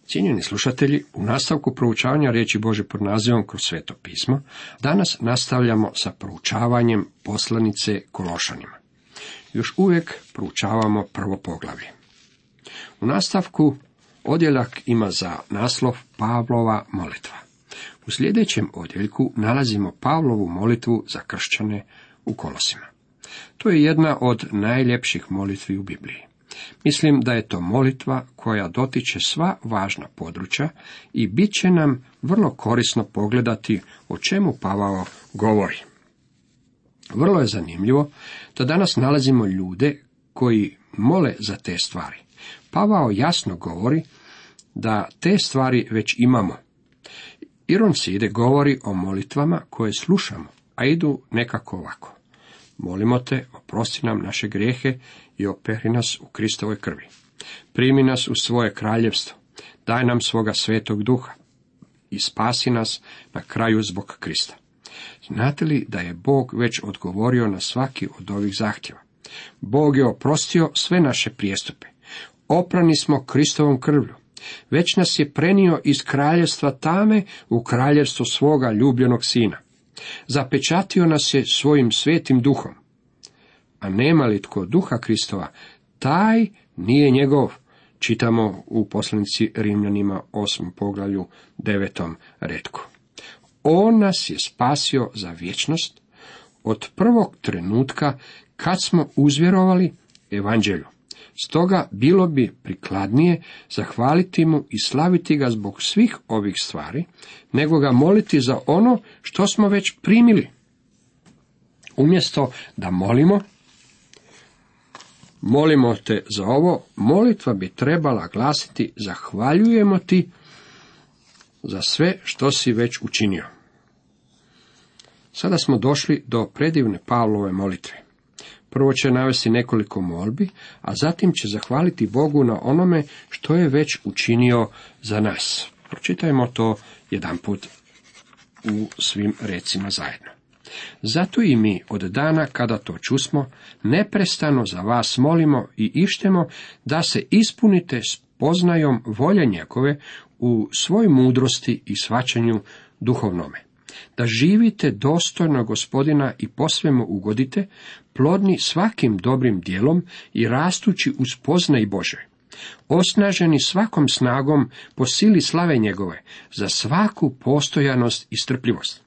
Cijenjeni slušatelji, u nastavku proučavanja riječi Božje pod nazivom Kroz sveto pismo, danas nastavljamo sa proučavanjem poslanice Kološanima. Još uvijek proučavamo prvo poglavlje. U nastavku odjeljak ima za naslov Pavlova molitva. U sljedećem odjeljku nalazimo Pavlovu molitvu za kršćane u Kolosima. To je jedna od najljepših molitvi u Bibliji. Mislim da je to molitva koja dotiče sva važna područja i bit će nam vrlo korisno pogledati o čemu Pavao govori. Vrlo je zanimljivo da danas nalazimo ljude koji mole za te stvari. Pavao jasno govori da te stvari već imamo. Iron Side govori o molitvama koje slušamo, a idu nekako ovako. Molimo te, oprosti nam naše grijehe i operi nas u Kristovoj krvi. Primi nas u svoje kraljevstvo, daj nam svoga svetog duha i spasi nas na kraju zbog Krista. Znate li da je Bog već odgovorio na svaki od ovih zahtjeva? Bog je oprostio sve naše prijestupe. Oprani smo Kristovom krvlju. Već nas je prenio iz kraljevstva tame u kraljevstvo svoga ljubljenog sina. Zapečatio nas je svojim svetim duhom. A nema li tko duha Kristova, taj nije njegov. Čitamo u poslanici Rimljanima 8. poglavlju 9. retku. On nas je spasio za vječnost od prvog trenutka kad smo uzvjerovali evanđelju. Stoga bilo bi prikladnije zahvaliti mu i slaviti ga zbog svih ovih stvari, nego ga moliti za ono što smo već primili. Umjesto da molimo te za ovo, molitva bi trebala glasiti zahvaljujemo ti za sve što si već učinio. Sada smo došli do predivne Pavlove molitve. Prvo će navesti nekoliko molbi, a zatim će zahvaliti Bogu na onome što je već učinio za nas. Pročitajmo to jedanput u svim recima zajedno. Zato i mi od dana kada to čusmo, neprestano za vas molimo i ištemo da se ispunite spoznajom volje njegove u svoj mudrosti i shvaćanju duhovnome. Da živite dostojno Gospodina i posvemu ugodite, plodni svakim dobrim djelom i rastući u spoznaji Bože, osnaženi svakom snagom po sili slave njegove, za svaku postojanost i strpljivost,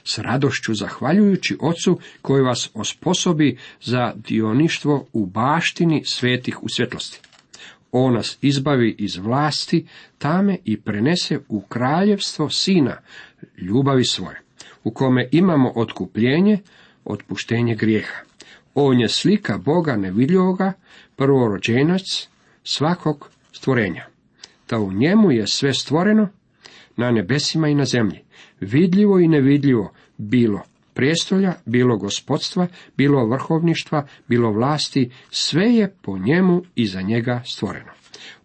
s radošću zahvaljujući Ocu koji vas osposobi za dioništvo u baštini svetih u svjetlosti. On nas izbavi iz vlasti tame i prenese u kraljevstvo Sina ljubavi svoje, u kome imamo otkupljenje, otpuštenje grijeha. On je slika Boga nevidljivoga, prvorođenac svakog stvorenja. Da u njemu je sve stvoreno, na nebesima i na zemlji, vidljivo i nevidljivo, bilo prijestolja, bilo gospodstva, bilo vrhovništva, bilo vlasti, sve je po njemu i za njega stvoreno.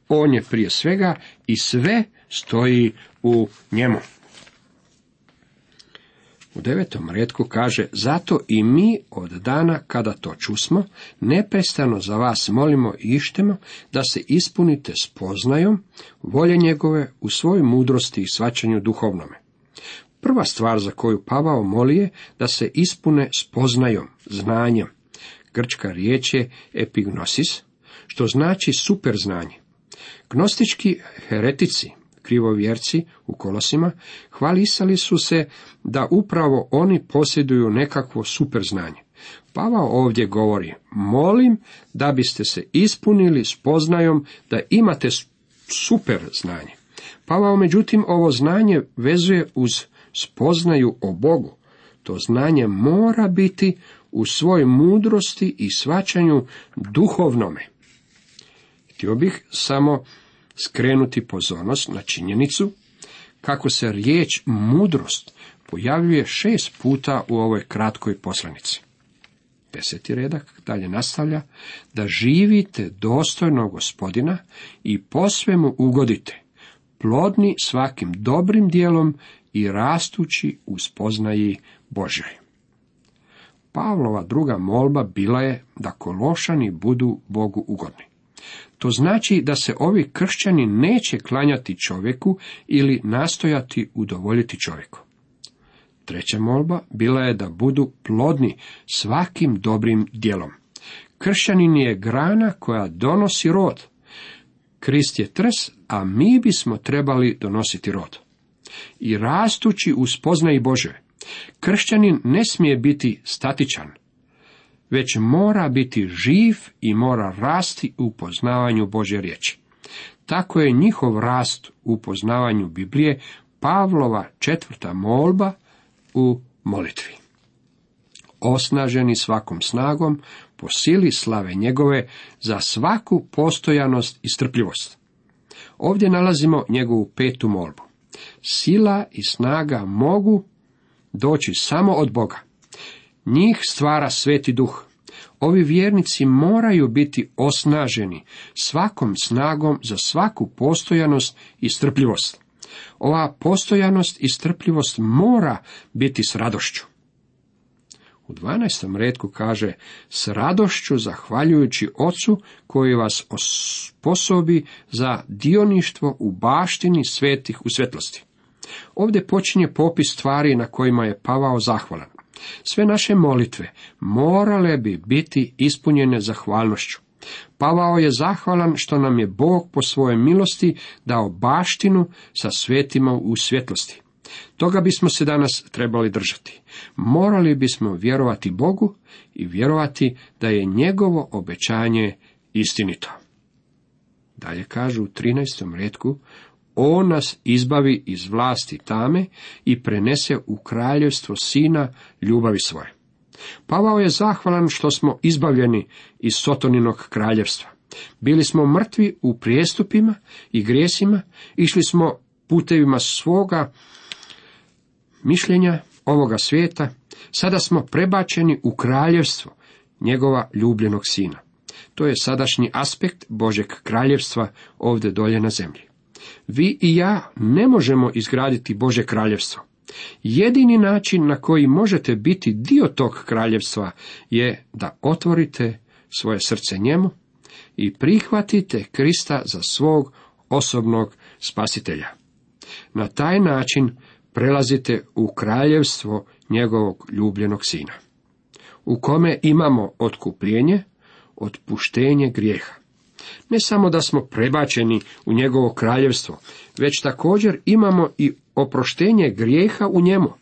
On je prije svega i sve stoji u njemu. U 9. retku kaže, zato i mi od dana kada to čusmo, neprestano za vas molimo i ištemo da se ispunite spoznajom volje njegove u svojoj mudrosti i shvaćanju duhovnome. Prva stvar za koju Pavao moli je da se ispune spoznajom, znanjem. Grčka riječ je epignosis, što znači super znanje. Gnostički heretici, krivovjerci u Kolosima, hvalisali su se da upravo oni posjeduju nekakvo super znanje. Pavao ovdje govori, molim da biste se ispunili spoznajom da imate super znanje. Pavao međutim ovo znanje vezuje uz spoznaju o Bogu. To znanje mora biti u svojoj mudrosti i shvaćanju duhovnome. Htio bih samo skrenuti pozornost na činjenicu kako se riječ mudrost pojavljuje 6 puta u ovoj kratkoj poslanici. 10. redak dalje nastavlja, da živite dostojno Gospodina i posve mu ugodite, plodni svakim dobrim djelom i rastući u spoznaji Božoj. Pavlova druga molba bila je da Kološani budu Bogu ugodni. To znači da se ovi kršćani neće klanjati čovjeku ili nastojati udovoljiti čovjeku. Treća molba bila je da budu plodni svakim dobrim djelom. Kršćanin je grana koja donosi rod. Krist je trs, a mi bismo trebali donositi rod. I rastući u spoznaji Božje. Kršćanin ne smije biti statičan, već mora biti živ i mora rasti u poznavanju Božje riječi. Tako je njihov rast u poznavanju Biblije Pavlova 4. molba u molitvi. Osnaženi svakom snagom, po sili slave njegove, za svaku postojanost i strpljivost. Ovdje nalazimo njegovu 5. molbu. Sila i snaga mogu doći samo od Boga. Njih stvara Sveti Duh. Ovi vjernici moraju biti osnaženi svakom snagom za svaku postojanost i strpljivost. Ova postojanost i strpljivost mora biti s radošću. U 12. retku kaže, s radošću zahvaljujući Ocu koji vas osposobi za dioništvo u baštini svetih u svjetlosti. Ovdje počinje popis stvari na kojima je Pavao zahvalan. Sve naše molitve morale bi biti ispunjene zahvalnošću. Pavao je zahvalan što nam je Bog po svojoj milosti dao baštinu sa svetima u svjetlosti. Toga bismo se danas trebali držati. Morali bismo vjerovati Bogu i vjerovati da je njegovo obećanje istinito. Dalje kažu u 13. retku, on nas izbavi iz vlasti tame i prenese u kraljevstvo Sina ljubavi svoje. Pavao je zahvalan što smo izbavljeni iz Sotoninog kraljevstva. Bili smo mrtvi u prijestupima i grijesima, išli smo putevima svoga mišljenja ovoga svijeta, sada smo prebačeni u kraljevstvo njegova ljubljenog Sina. To je sadašnji aspekt Božjeg kraljevstva ovdje dolje na zemlji. Vi i ja ne možemo izgraditi Božje kraljevstvo. Jedini način na koji možete biti dio tog kraljevstva je da otvorite svoje srce njemu i prihvatite Krista za svog osobnog spasitelja. Na taj način prelazite u kraljevstvo njegovog ljubljenog Sina, u kome imamo otkupljenje, otpuštenje grijeha. Ne samo da smo prebačeni u njegovo kraljevstvo, već također imamo i oproštenje grijeha u njemu.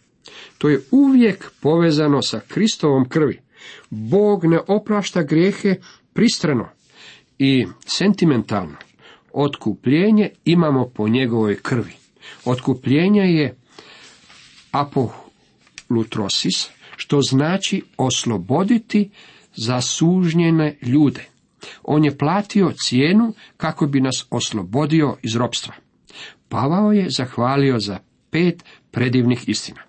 To je uvijek povezano sa Kristovom krvi. Bog ne oprašta grijehe pristrano i sentimentalno. Otkupljenje imamo po njegovoj krvi. Otkupljenje je apolutrosis, što znači osloboditi zasužnjene ljude. On je platio cijenu kako bi nas oslobodio iz ropstva. Pavao je zahvalio za 5 predivnih istina.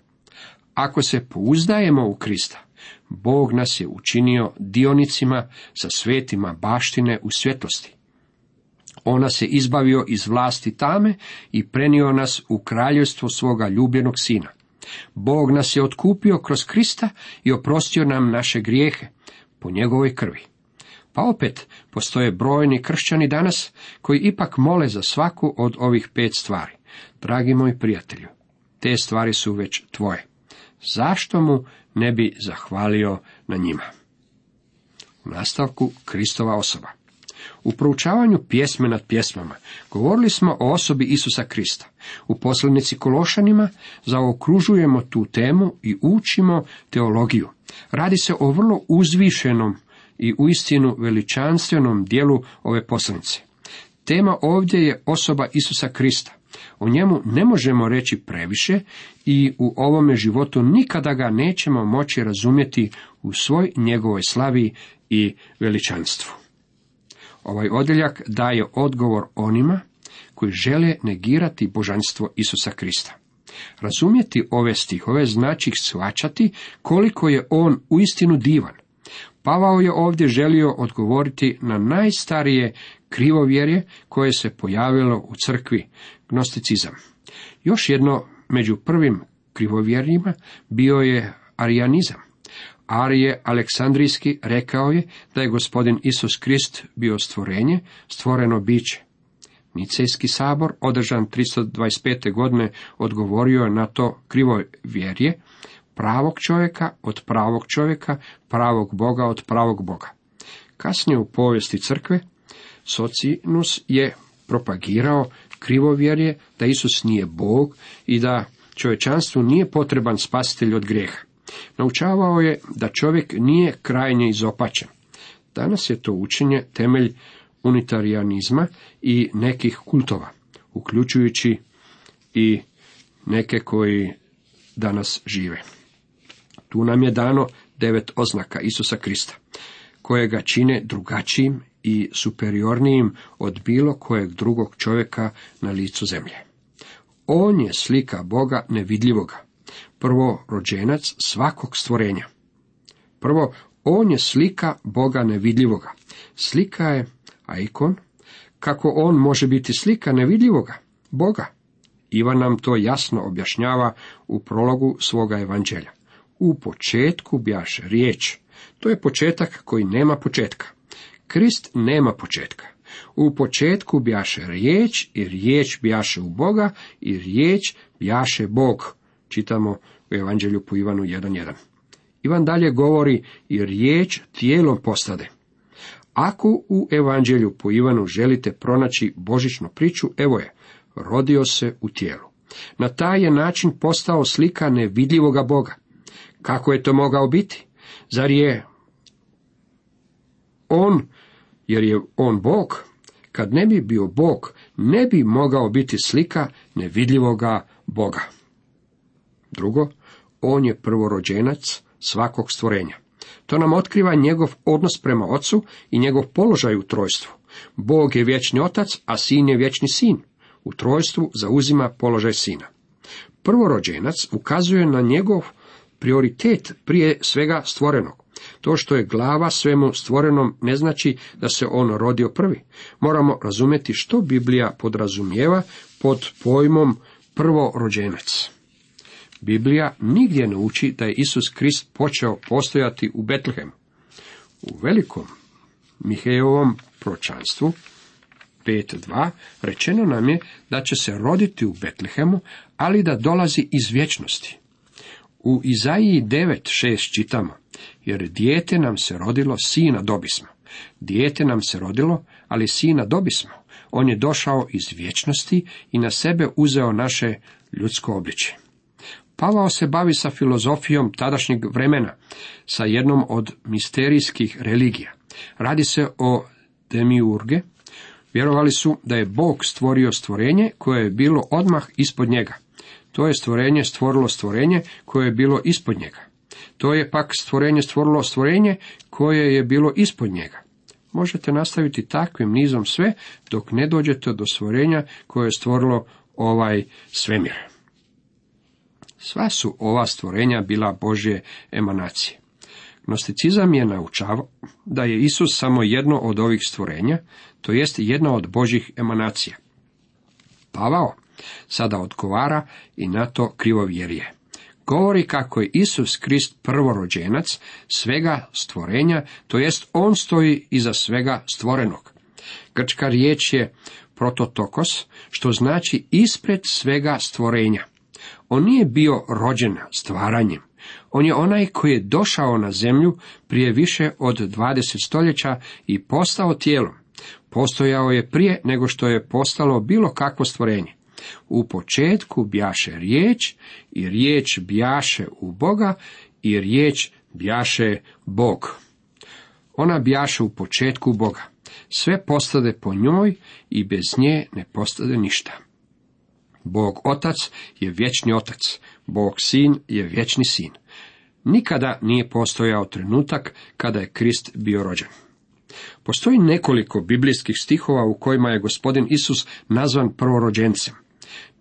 Ako se pouzdajemo u Krista, Bog nas je učinio dionicima sa svetima baštine u svjetlosti. On nas je izbavio iz vlasti tame i prenio nas u kraljevstvo svoga ljubljenog Sina. Bog nas je otkupio kroz Krista i oprostio nam naše grijehe po njegovoj krvi. Pa opet, postoje brojni kršćani danas koji ipak mole za svaku od ovih 5 stvari. Dragi moji prijatelju, te stvari su već tvoje. Zašto mu ne bi zahvalio na njima? U nastavku Kristova osoba. U proučavanju pjesme nad pjesmama govorili smo o osobi Isusa Krista. U poslanici Kološanima zaokružujemo tu temu i učimo teologiju. Radi se o vrlo uzvišenom i uistinu veličanstvenom dijelu ove poslanice. Tema ovdje je osoba Isusa Krista. O njemu ne možemo reći previše i u ovome životu nikada ga nećemo moći razumjeti u svoj njegovoj slavi i veličanstvu. Ovaj odjeljak daje odgovor onima koji žele negirati božanstvo Isusa Krista. Razumjeti ove stihove znači shvaćati koliko je on uistinu divan. Pavao je ovdje želio odgovoriti na najstarije krivovjerje koje se pojavilo u crkvi, gnosticizam. Još jedno među prvim krivovjerjima bio je arijanizam. Arije Aleksandrijski rekao je da je gospodin Isus Krist bio stvorenje, stvoreno biće. Nicejski sabor, održan 325. godine, odgovorio je na to krivovjerje, pravog čovjeka od pravog čovjeka, pravog Boga od pravog Boga. Kasnije u povijesti crkve, Socinus je propagirao krivovjerje da Isus nije Bog i da čovječanstvu nije potreban spasitelj od grijeha. Naučavao je da čovjek nije krajnje izopačen. Danas je to učenje temelj unitarijanizma i nekih kultova, uključujući i neke koji danas žive. Tu nam je dano 9 oznaka Isusa Krista, koje ga čine drugačijim i superiornijim od bilo kojeg drugog čovjeka na licu zemlje. On je slika Boga nevidljivoga, prvorođenac svakog stvorenja. Prvo, on je slika Boga nevidljivoga. Slika je aikon. Kako on može biti slika nevidljivoga Boga? Ivan nam to jasno objašnjava u prologu svoga evanđelja. U početku bjaše riječ. To je početak koji nema početka. Krist nema početka. U početku bjaše riječ i riječ bjaše u Boga i riječ bjaše Bog. Čitamo u evanđelju po Ivanu 1.1. Ivan dalje govori i riječ tijelom postade. Ako u evanđelju po Ivanu želite pronaći božićnu priču, evo je, rodio se u tijelu. Na taj je način postao slika nevidljivoga Boga. Kako je to mogao biti? Zar je on, jer je on Bog, kad ne bi bio Bog, ne bi mogao biti slika nevidljivoga Boga. Drugo, on je prvorođenac svakog stvorenja. To nam otkriva njegov odnos prema Ocu i njegov položaj u trojstvu. Bog je vječni Otac, a Sin je vječni Sin. U trojstvu zauzima položaj Sina. Prvorođenac ukazuje na njegov prioritet prije svega stvorenog. To što je glava svemu stvorenom ne znači da se on rodio prvi. Moramo razumjeti što Biblija podrazumijeva pod pojmom prvorođenac. Biblija nigdje ne uči da je Isus Krist počeo postojati u Betlehemu. U velikom Mihejevom proročanstvu 5.2 rečeno nam je da će se roditi u Betlehemu, ali da dolazi iz vječnosti. U Izaiji 9.6 čitamo, jer dijete nam se rodilo, sina dobismo. Dijete nam se rodilo, ali sina dobismo. On je došao iz vječnosti i na sebe uzeo naše ljudsko obličje. Pavao se bavi sa filozofijom tadašnjeg vremena, sa jednom od misterijskih religija. Radi se o demiurge. Vjerovali su da je Bog stvorio stvorenje koje je bilo odmah ispod njega. To je stvorenje stvorilo stvorenje koje je bilo ispod njega. To je pak stvorenje stvorilo stvorenje koje je bilo ispod njega. Možete nastaviti takvim nizom sve dok ne dođete do stvorenja koje je stvorilo ovaj svemir. Sva su ova stvorenja bila Božje emanacije. Gnosticizam je naučavao da je Isus samo jedno od ovih stvorenja, to jest jedna od Božjih emanacija. Pavao sada odgovara i na to krivovjerje. Govori kako je Isus Krist prvorođenac svega stvorenja, to jest on stoji iza svega stvorenog. Grčka riječ je prototokos, što znači ispred svega stvorenja. On nije bio rođen stvaranjem. On je onaj koji je došao na zemlju prije više od 20 stoljeća i postao tijelom. Postojao je prije nego što je postalo bilo kakvo stvorenje. U početku bjaše riječ i riječ bjaše u Boga i riječ bjaše Bog. Ona bjaše u početku Boga. Sve postade po njoj i bez nje ne postade ništa. Bog Otac je vječni Otac, Bog Sin je vječni Sin. Nikada nije postojao trenutak kada je Krist bio rođen. Postoji nekoliko biblijskih stihova u kojima je gospodin Isus nazvan prvorođencem.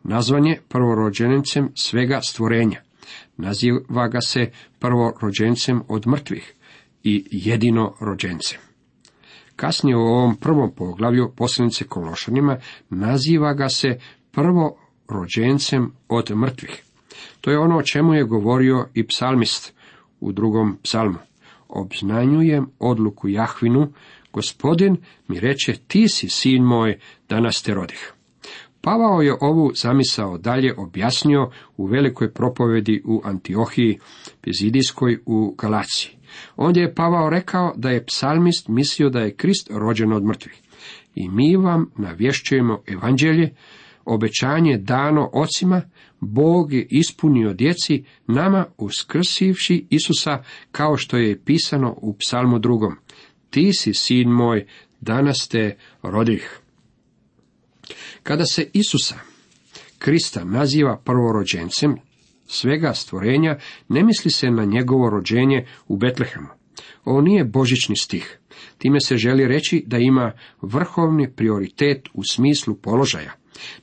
Nazvan je prvorođencem svega stvorenja. Naziva ga se prvorođencem od mrtvih i jedino rođencem. Kasnije u ovom prvom poglavlju poslanice Kološanima naziva ga se prvorođencem od mrtvih. To je ono o čemu je govorio i psalmist u 2. psalmu. Obznanjujem odluku Jahvinu, Gospodin mi reče, ti si sin moj, danas te rodih. Pavao je ovu zamisao dalje objasnio u velikoj propovedi u Antiohiji Pizidijskoj u Galaciji. Ondje je Pavao rekao da je psalmist mislio da je Krist rođen od mrtvih. I mi vam navješćujemo evanđelje, obećanje dano ocima, Bog je ispunio djeci, nama uskrsivši Isusa, kao što je pisano u psalmu 2. Ti si sin moj, danas te rodih. Kada se Isusa Krista naziva prvorođencem svega stvorenja, ne misli se na njegovo rođenje u Betlehemu. Ovo nije božićni stih. Time se želi reći da ima vrhovni prioritet u smislu položaja.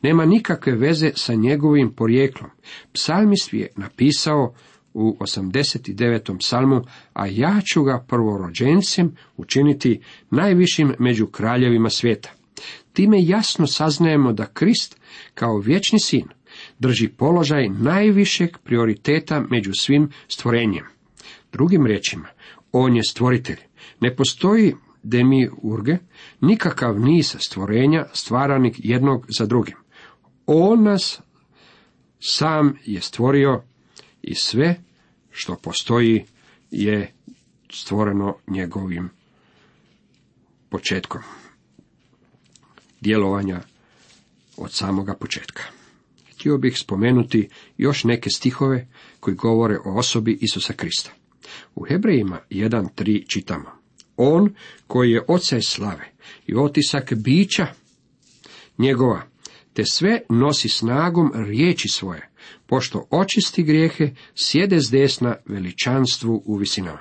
Nema nikakve veze sa njegovim porijeklom. Psalmist je napisao u 89. psalmu, a ja ću ga prvorođencem učiniti najvišim među kraljevima svijeta. Time jasno saznajemo da Krist, kao vječni sin, drži položaj najvišeg prioriteta među svim stvorenjem. Drugim riječima, on je stvoritelj. Ne postoji demiurge, nikakav niz stvorenja stvaranih jednog za drugim. On nas sam je stvorio i sve što postoji je stvoreno njegovim početkom djelovanja od samoga početka. Htio bih spomenuti još neke stihove koji govore o osobi Isusa Krista. U Hebrejima 1.3 čitamo: On koji je oca slave i otisak bića njegova, te sve nosi snagom riječi svoje, pošto očisti grijehe, sjede s desna veličanstvu u visinama.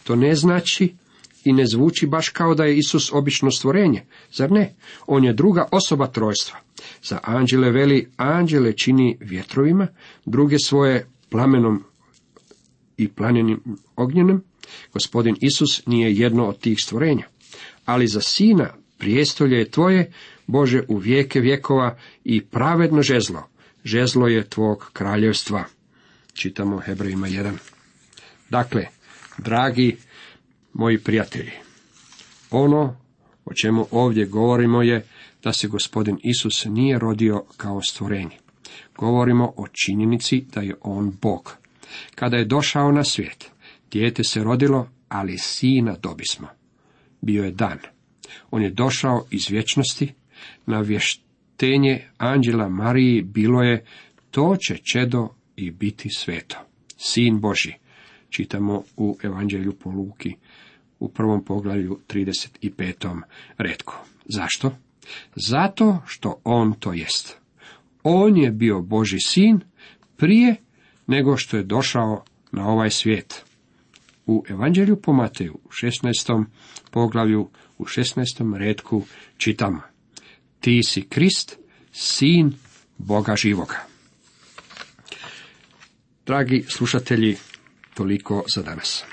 To ne znači i ne zvuči baš kao da je Isus obično stvorenje, zar ne? On je druga osoba trojstva. Za anđele veli, anđele čini vjetrovima, druge svoje plamenom i planenim ognjenom. Gospodin Isus nije jedno od tih stvorenja. Ali za sina prijestolje je tvoje, Bože, u vijeke vjekova, i pravedno žezlo. Žezlo je tvog kraljevstva. Čitamo Hebrejima 1. Dakle, dragi moji prijatelji, ono o čemu ovdje govorimo je da se Gospodin Isus nije rodio kao stvorenje. Govorimo o činjenici da je on Bog. Kada je došao na svijet, dijete se rodilo, ali sina dobismo. Bio je dan. On je došao iz vječnosti, navještenje anđela Mariji bilo je, to će čedo i biti sveto. Sin Božji. Čitamo u Evanđelju po Luki u 1. poglavlju 35. retku. Zašto? Zato što on to jest. On je bio Božji sin prije nego što je došao na ovaj svijet. U Evanđelju po Mateju u 16. poglavlju u 16. retku čitamo: Ti si Krist, sin Boga živoga. Dragi slušatelji, toliko za danas.